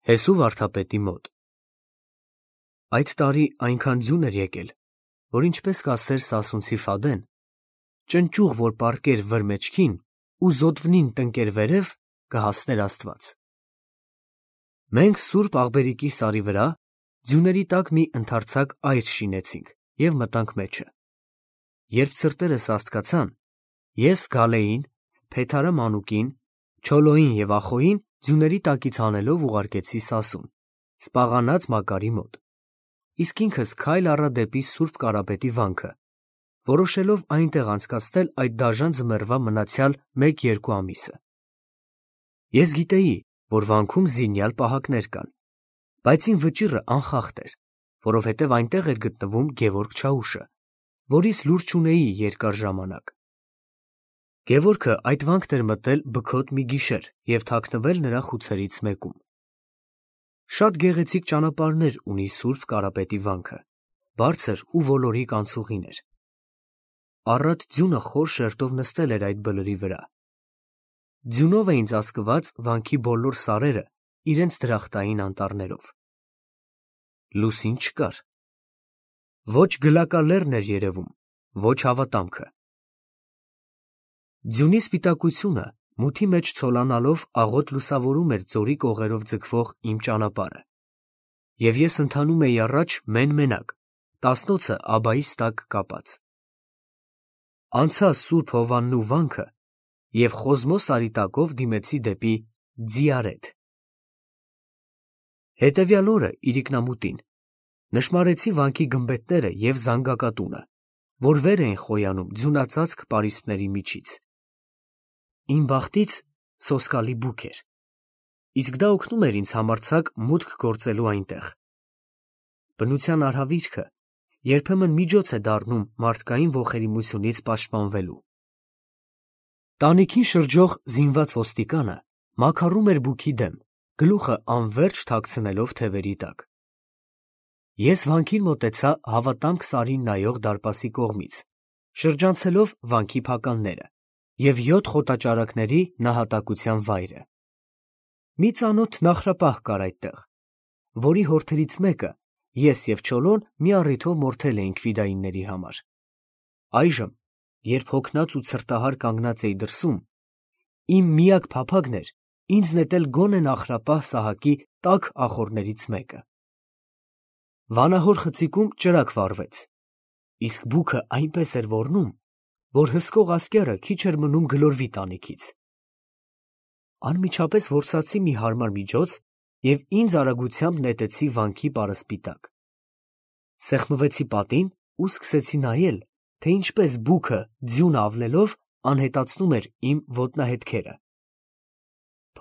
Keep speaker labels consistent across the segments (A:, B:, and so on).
A: Հեսու վարդապետի մոտ։ Այդ տարի այնքան ձյուն էր եկել, որ ինչպես կասեր Սասունցի Ֆադեն, ճնճուղ որ պառկեր վր մեջքին ու զոդվնին տնկեր վերև, կհասներ Աստված։ Մենք Սուրբ Աղբերիկի սարի վրա ձյուների տակ մի ընդարձակ այր շինեցինք և մտանք մեջը։ Երբ ցրտերս աստկացան, ես Գալեին, Փեթարը Մանուկին, Չոլոյին և Ախոյին ձյուների տակից հանելով ուղարկեցի Սասուն, սպաղանած Մակարի մոտ, իսկ ինքս քայլ առա դեպի Սուրբ Կարապետի վանքը, որոշելով այնտեղ անցկացնել այդ դաժան ձմեռվա մնացյալ 1-2 ամիսը։ Ես գիտեի, որ վանքում զինյալ պահակներ կան, բայց իմ վճիռը անխախտ էր, որովհետև այնտեղ էր գտնվում Գևորգ Չաուշը, որից լուր չունեի երկար ժամանակ։ Գևորգը այդ վանքն էր մտել բքոտ մի գիշեր և թաքնվել նրա խուցերից մեկում։ Շատ գեղեցիկ ճանապարհներ ունի Սուրբ Կարապետի վանքը, բարձր ու ոլորիկ անցուղիներ։ Առատ ձյունը խոր շերտով նստել էր այդ բլրի վրա։ Ձյունով էին ծածկված վանքի բոլոր սարերը իրենց դրախտային անտառներով։ Լուսին չկար։ Ոչ գլակալեռն էր երևում, ոչ հավատամքը։ Ձյունի սպիտակությունը մութի մեջ ցոլանալով աղոտ լուսավորում էր ձորի կողերով ձգվող իմ ճանապարհը, և ես ընթանում էի առաջ մեն֊մենակ, տասնոցը աբայիս տակ կապած։ Անցա Սուրբ Հովաննու վանքը և Խոզմո սարի տակով դիմեցի դեպի Ձիարեթ։ Հետևյալ օրը իրիկնամուտին նշմարեցի վանքի գմբեթները և զանգակատունը, որ վեր էին խոյանում ձյունածածկ պարիսպների միջից։ Իմ բախտից սոսկալի բուք էր, իսկ դա օգնում էր ինձ համարձակ մուտք գործելու այնտեղ։ Բնության արհավիրքը երբեմն միջոց է դառնում մարդկային ոխերիմությունից պաշտպանվելու։ Տանիքին շրջող զինված ոստիկանը մաքարում էր բուքի դեմ, գլուխը անվերջ թաքցնելով թևերի տակ։ Ես վանքին մոտեցա Հավատամք սարին նայող դարպասի կողմից, շրջանցելով վանքի փականները և 7 խոտաճարակների նահատակության վայրը։ Մի ծանոթ նախրապահ կար այդտեղ, որի հորթերից մեկը ես և Չոլոն մի առիթով մորթել էինք ֆիդայինների համար։ Այժմ, երբ հոգնած ու ցրտահար կանգնած էի դրսում, իմ միակ փափագն էր ինձ նետել գոնե նախրապահ Սահակի տաք ախոռներից մեկը։ Վանահոր խցիկում ճրագ վառվեց, իսկ բուքը այնպես էր ոռնում, որ հսկող ասկերը քիչ էր մնում գլորվի տանիքից։ Անմիջապես որսացի մի հարմար միջոց և ինձ արագությամբ նետեցի վանքի պարսպի տակ։ Սեղմվեցի պատին ու սկսեցի նայել, թե ինչպես բուքը ձյուն ավլելով անհետացնում էր իմ ոտնահետքերը։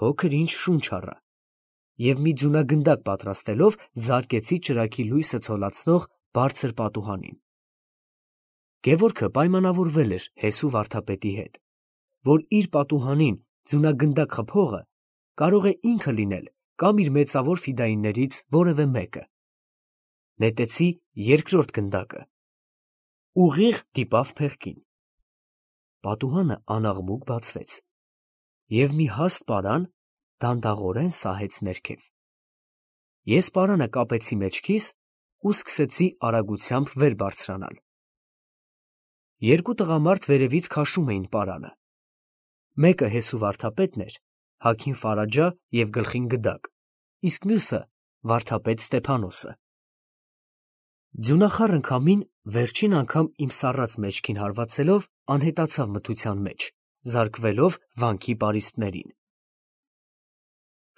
A: Փոքր ինչ շունչ առա և մի ձյունագնդակ պատրաստելով զարկեցի ճրագի լույսը ցոլացնող բարձր պատուհանին։ Գևորգը պայմանավորվել էր Հեսու վարդապետի հետ, որ իր պատուհանին ձյունագնդակ խփողը կարող է ինքը լինել կամ իր մեծավոր ֆիդայիններից որևէ մեկը։ Նետեցի երկրորդ գնդակը։ Ուղիղ դիպավ փեղկին։ Պատուհանը անաղմուկ բացվեց, և մի հաստ պարան դանդաղորեն սահեց ներքև։ Ես պարանը կապեցի մեջքիս ու սկսեցի արագությամբ վեր բարձրանալ։ Երկու տղամարդ վերևից քաշում էին պարանը։ Մեկը Հեսու վարդապետն էր, հագին ֆարաջա և գլխին գդակ, իսկ մյուսը վարդապետ Ստեփանոսը։ Ձյունախառն քամին վերջին անգամ իմ սառած մեջքին հարվածելով անհետացավ մթության մեջ, զարկվելով վանքի պարիսպներին։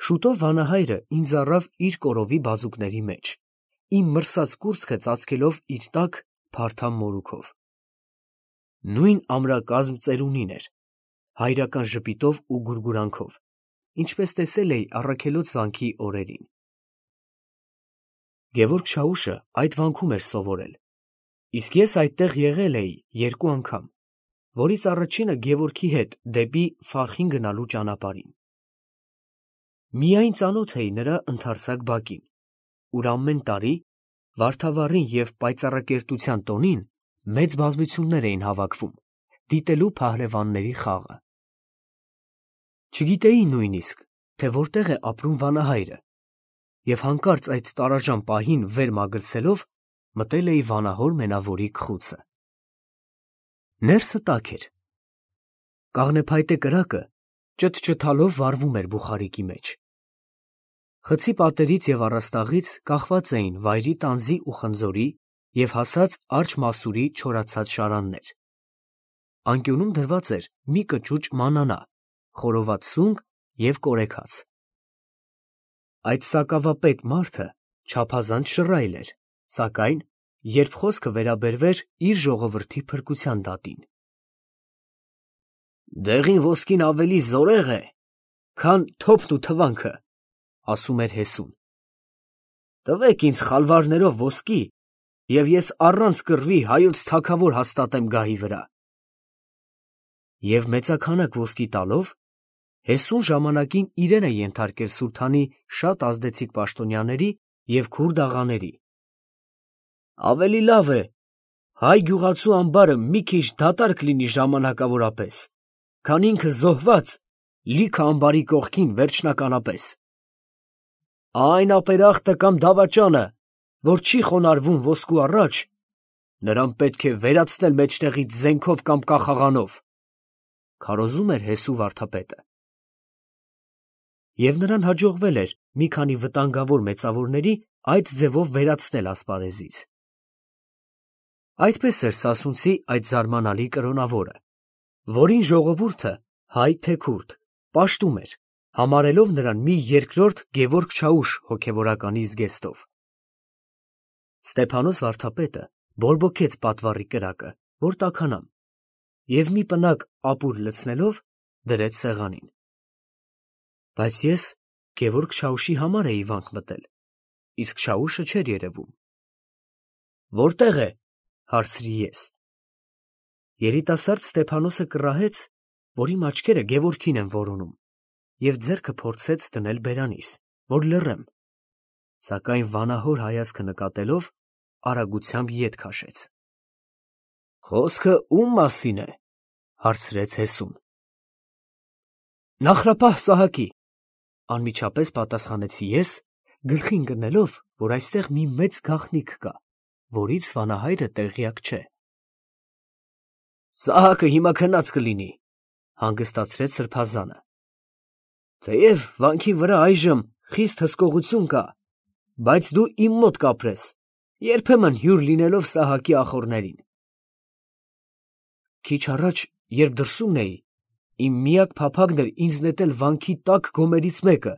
A: Շուտով վանահայրը ինձ առավ իր կորովի բազուկների մեջ, իմ մրսած կուրծքը ծածկելով իր տակ փարթամ մորուքով։ Նույն ամրակազմ ծերունին էր, հայրական ժպիտով ու գուրգուրանքով, ինչպես տեսել էի առաքելոց վանքի օրերին։ Գևորգ Չաուշը այդ վանքում էր սովորել, իսկ ես այդտեղ եղել էի 2 անգամ, որից առաջինը Գևորգի հետ դեպի Ֆարխին գնալու ճանապարհին։ Միայն ծանոթ էի նրա ընդարձակ բակին, ուր ամեն տարի վարդավառին և պայծառակերտության տոնին մեծ բազմություններ էին հավաքվում, դիտելու փահլևանների խաղը։ Չգիտեի նույնիսկ, թե որտեղ է ապրում վանահայրը, և հանկարծ այդ տարաժան պահին վեր մագլցելով մտել էի վանահոր մենավորի գխուցը։ Ներսը տաք էր։ Կաղնեփայտե կրակը ճթճթալով վառվում էր բուխարիկի մեջ։ Խցի պատերից և առաստաղից կախված էին վայրի տանձի ու խնձորի և հասած արջը մասուրի չորացած շարաններ։ Անկյունում դրված էր մի կճուճ մանանա, խորոված սունկ և կորեքած։ Այդ սակավապետ մարդը չափազանց շռայլ էր, սակայն, երբ խոսքը վերաբերվեր իր ժողովրդի փրկության դատին։ «Դեղին ոսկին ավելի զորեղ է, քան թոփն ու թվանքը», ասում էր հեսուն։ «Տվեք ինձ խալվարներով ոսկի, և ես առանց կռվի հայոց թագավոր հաստատեմ գահի վրա»։ Եվ մեծաքանակ ոսկի տալով, հեսուն ժամանակին իրեն է ենթարկել սուլթանի շատ ազդեցիկ պաշտոնյաների և քուրդ աղաների։ «Ավելի լավ է հայ գյուղացու ամբարը մի քիչ դատարկ լինի ժամանակավորապես, քան ինքը զոհված լիքը ամբարի կողքին վերջնականապես։ Այն ապերախտը կամ դավաճանը, որ չի խոնարհվում ոսկու առաջ, նրան պետք է վերացնել մեջտեղից զենքով կամ կախաղանով», քարոզում էր հեսու վարդապետը։ Եվ նրան հաջողվել էր մի քանի վտանգավոր մեծավորների այդ ձևով վերացնել ասպարեզից։ Այդպես էր սասունցի այդ զարմանալի կրոնավորը, որին ժողովուրդը, հայ թե քուրդ, պաշտում էր, համարելով նրան մի երկրորդ Գևորգ Չաուշ հոգևորականի զգեստով։ Ստեփանոս վարդապետը բորբոքեց պատվառի կրակը, որ տաքանամ, և մի պնակ ապուր լցնելով դրեց սեղանին։ Բայց ես Գևորգ Չաուշի համար էի վանք մտել, իսկ Չաուշը չէր երևում։ «Որտե՞ղ է», հարցրի ես։ Երիտասարդ Ստեփանոսը կռահեց, որ իմ աչքերը Գևորգին են որոնում, և ձեռքը փորձեց դնել բերանիս, որ լռեմ, սակայն վանահոր հայացքը նկատելով, արագությամբ ետ քաշեց։ «Խոսքը ո՞ւմ մասին է», հարցրեց հեսուն։ «Նախրապահ Սահակի», անմիջապես պատասխանեցի ես, գլխի ընկնելով, որ այստեղ մի մեծ գաղտնիք կա, որից վանահայրը տեղյակ չէ։ «Սահակը հիմա քնած կլինի», հանգստացրեց սրբազանը։ «Թեև վանքի վրա այժմ խիստ հսկողություն կա, բայց դու իմ մոտ կապրես, երբեմն հյուր լինելով Սահակի ախոռներին։ Քիչ առաջ, երբ դրսումն էի, իմ միակ փափագն էր ինձ նետել վանքի տաք գոմերից մեկը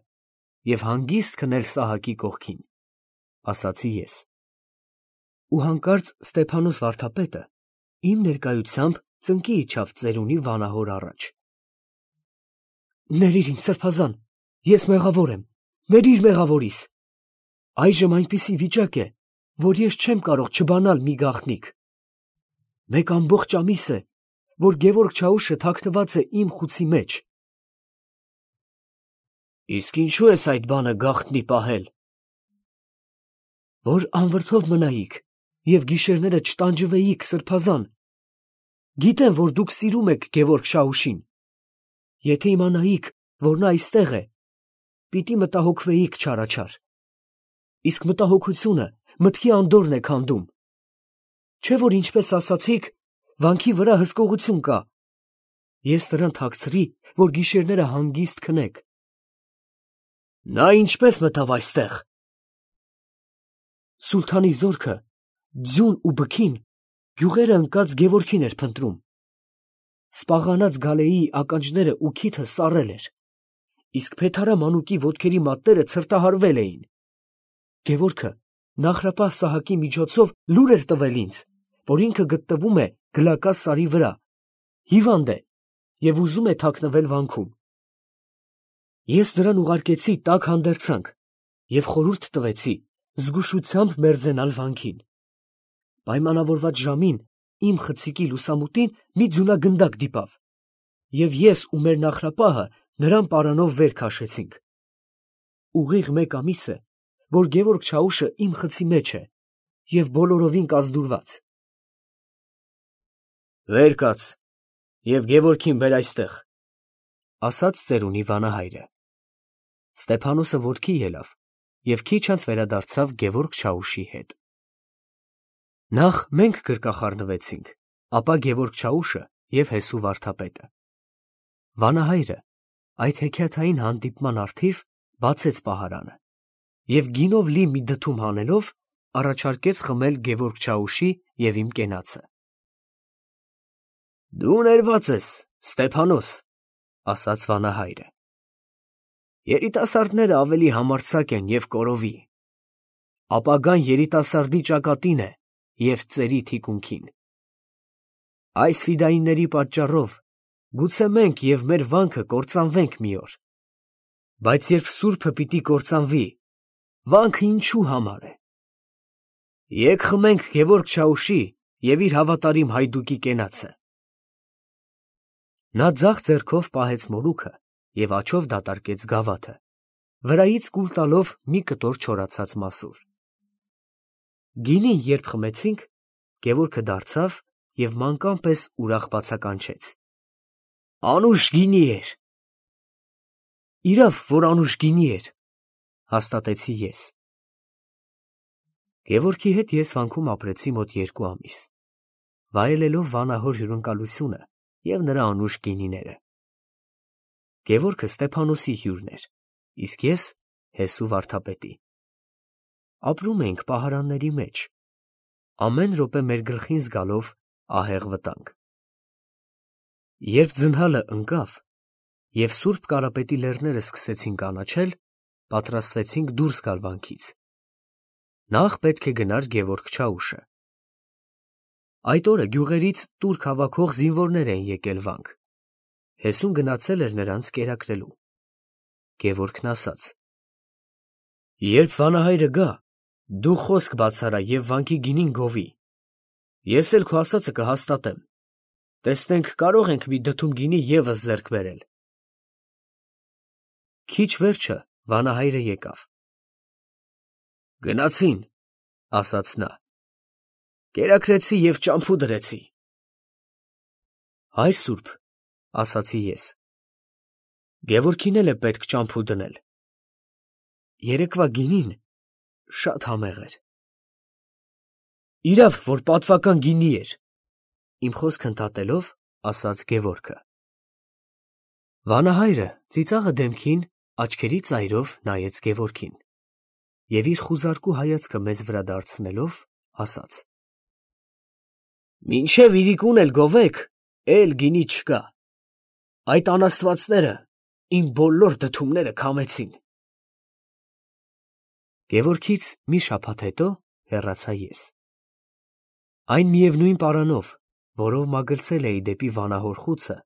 A: և հանգիստ քնել Սահակի կողքին», ասացի ես։ Ու հանկարծ Ստեփանոս վարդապետը իմ ներկայությամբ ծնկի իջավ ծերունի վանահոր առաջ։ «Ներիր ինձ, սրբազան, ես մեղավոր եմ, ներիր մեղավորիս։ Այժմ այնպիսի վիճակ է, որ ես չեմ կարող չբանալ մի գաղտնիք։ Մեկ ամբողջ ամիս է, որ Գևորգ Չաուշը թաքնված է իմ խուցի մեջ»։ «Իսկ ինչու ես այդ բանը գաղտնի պահել»։ «Որ անվրդով մնայիք և գիշերները չտանջվեիք, սրբազան։ Գիտեմ, որ դուք սիրում եք Գևորգ Շահուշին։ Եթե իմանայիք, որ նա այստեղ է, պիտի մտահոգվեիք չարաչար։ Իսկ մտահոգությունը մտքի անդորրն է քանդում։ Չէ՞ որ ինչպես ասացիք, վանքի վրա հսկողություն կա։ Ես նրան թաքցրի, որ գիշերները հանգիստ քնեք»։ «Նա ինչպես մտավ այստեղ»։ «Սուլթանի զորքը ձյուն ու բքին գյուղերը ընկած Գևորգին էր փնտրում։ Սպաղանած գալեի ականջները ու քիթը սառել էր, իսկ փեթարա մանուկի ոտքերի մատները ցրտահարվել էին։ Գևորգը Նախրապահ Սահակի միջոցով լուր էր տվել ինձ, որ ինքը գտնվում է Գլակա սարի վրա, հիվանդ է և ուզում է թաքնվել վանքում։ Ես նրան ուղարկեցի տաք հանդերձանք և խորհուրդ տվեցի զգուշությամբ մերձենալ վանքին։ Պայմանավորված ժամին իմ խցիկի լուսամուտին մի ձյունագնդակ դիպավ, և ես ու մեր նախրապահը նրան պարանով վեր քաշեցինք։ Ուղիղ մեկ ամիս է, որ Գևորգ Չաուշը իմ խցի մեջ է և բոլորովին կազդուրված։ «Վեր կաց և Գևորգին բեր այստեղ», ասաց ծերունի վանահայրը։ Ստեփանոսը ոտքի ելավ և քիչ անց վերադարձավ Գևորգ Չաուշի հետ։ Նախ մենք գրկախառնվեցինք, ապա Գևորգ Չաուշը և Հեսու վարդապետը։ Վանահայրը այդ հեքիաթային հանդիպման առթիվ բացեց պահարանը և գինով լի մի դդում հանելով առաջարկեց խմել Գևորգ Չաուշի և իմ կենացը։ «Դու ներված ես, Ստեփանոս», ասաց վանահայրը։ «Երիտասարդները ավելի համարձակ են և կորովի, ապագան երիտասարդի ճակատին է և ծերի թիկունքին։ Այս ֆիդայինների պատճառով գուցե մենք և մեր վանքը կործանվենք մի օր, բայց երբ սուրբը պիտի կործանվի, վանքը ինչու համար է։ Եկ խմենք Գևորգ Չաուշի և իր հավատարիմ հայդուկի կենացը»։ Նա ձախ ձեռքով պահեց մորուքը և աջով դատարկեց գավաթը, վրայից կուլ տալով մի կտոր չորացած մասուր։ Գինին երբ խմեցինք, Գևորգը դարձավ և մանկան պես ուրախ բացականչեց. «Անուշ գինի էր»։ «Իրավ, որ անուշ գինի էր», հաստատեցի ես։ Գևորգի հետ ես վանքում ապրեցի մոտ 2 ամիս, վայելելով վանահոր հյուրընկալությունը և նրա անուշ գինիները։ Գևորգը Ստեփանոսի հյուրն էր, իսկ ես Հեսու վարդապետի։ Ապրում էինք պահարանների մեջ, ամեն րոպե մեր գլխին զգալով ահեղ վտանգ։ Երբ ձնհալը ընկավ և Սուրբ Կարապետի լեռները սկսեցին կանաչել, պատրաստվեցինք դուրս գալ վանքից։ Նախ պետք է գնար Գևորգ Չաուշը։ Այդ օրը գյուղերից տուրք հավաքող զինվորներ էին եկել վանք։ Հեսուն գնացել էր նրանց կերակրելու։ Գևորգն ասաց. «Երբ վանահայրը գա, դու խոսք բացարա և վանքի գինին գովի։ Ես էլ քո ասածը կհաստատեմ։ Տեսնենք կարո՞ղ ենք մի դդում գինի ևս ձեռք բերել»։ Քիչ վերջը վանահայրը եկավ։ «Գնացին», ասաց նա, «կերակրեցի և ճամփու դրեցի»։ «Հայր սուրբ», ասացի ես, «Գևորգին էլ է պետք ճամփու դնել։ Երեկվա գինին շատ համեղ էր»։ «Իրավ, որ պատվական գինի էր», իմ խոսքը ընդհատելով, ասաց Գևորգը։ Վանահայրը ծիծաղը դեմքին աչքերի ծայրով նայեց Գևորգին և իր խուզարկու հայացքը մեզ վրա դարձնելով ասաց. «Մինչև իրիկուն էլ գովեք, էլ գինի չկա։ Այդ անաստվածները իմ բոլոր դդումները քամեցին»։ Գևորգից մի շաբաթ հետո հեռացա ես։ Այն միևնույն պարանով, որով մագլցել էի դեպի վանահոր խուցը,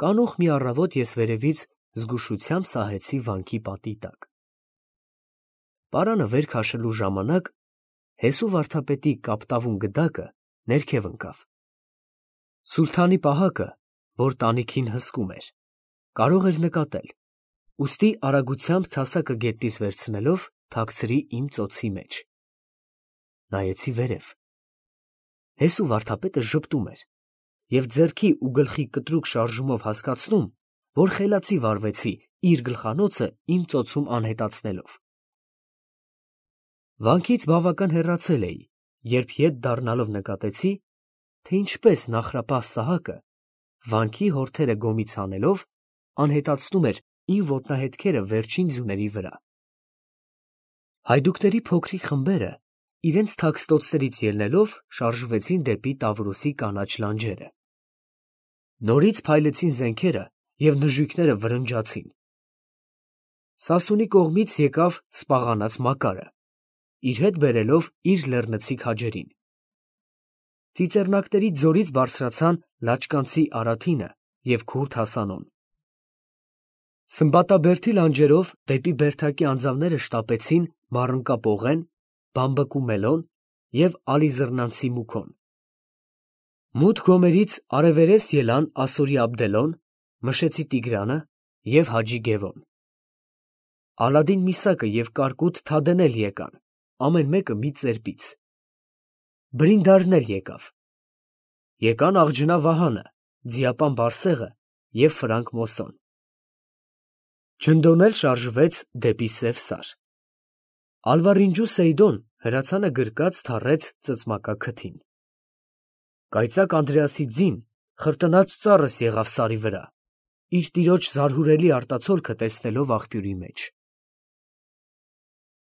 A: կանուխ մի առավոտ ես վերևից զգուշությամբ սահեցի վանքի պատի տակ։ Պարանը վեր քաշելու ժամանակ Հեսու վարդապետի կապտավուն գդակը ներքև ընկավ։ Սուլթանի պահակը, որ տանիքին հսկում էր, կարող էր նկատել, ուստի արագությամբ թասակը գետնից վերցնելով թաքցրի իմ ծոցի մեջ։ Նայեցի վերև։ Հեսու վարդապետը ժպտում էր և ձեռքի ու գլխի կտրուկ շարժումով հասկացնում, որ խելացի վարվեցի իր գլխանոցը իմ ծոցում անհետացնելով։ Վանքից բավական հեռացել էի, երբ ետ դառնալով նկատեցի, թե ինչպես նախրապահ Սահակը, վանքի հորթերը գոմից հանելով, անհետացնում էր իմ ոտնահետքերը վերջին ձյուների վրա։ Հայդուկների փոքրիկ խմբերը իրենց թաքստոցներից ելնելով շարժվեցին դեպի Տավրոսի կանաչ լանջերը։ Նորից փայլեցին զենքերը և նժույգները վրնջացին։ Սասունի կողմից եկավ սպաղանած Մակարը, իր հետ բերելով իր լեռնցիկ քաջերին։ Ծիծեռնակների ձորից բարձրացան լաճկանցի Արաթինը և Քուրդ Հասանոն։ Սմբատաբերդի լանջերով դեպի Բերդակի անձավները շտապեցին Մառընկա Պողեն, Բամբկու Մելոն և Ալիզռնանցի Մուքոն։ Մութ գոմերից արևերես ելան Ասորի Աբդելոն, Մշեցի Տիգրանը և Հաջի Գևոն։ Ալադին Միսակը և Կարկուտ Թադեն էլ եկան, ամեն մեկը մի ծերպից։ Բրինդարն էլ եկավ։ Եկան Աղջնա Վահանը, Ձիապան Բարսեղը և Ֆրանկ Մոսոն։ Ջնդոն էլ շարժվեց դեպի Սև Սար։ Ալվարինջու Սեյդոն հրացանը գրկած թռեց ծծմակա քթին։ Կայծակ Անդրեասի ձին խրտնած ծառս եղավ սարի վրա, իր տիրոջ զարհուրելի արտացոլքը տեսնելով աղբյուրի մեջ։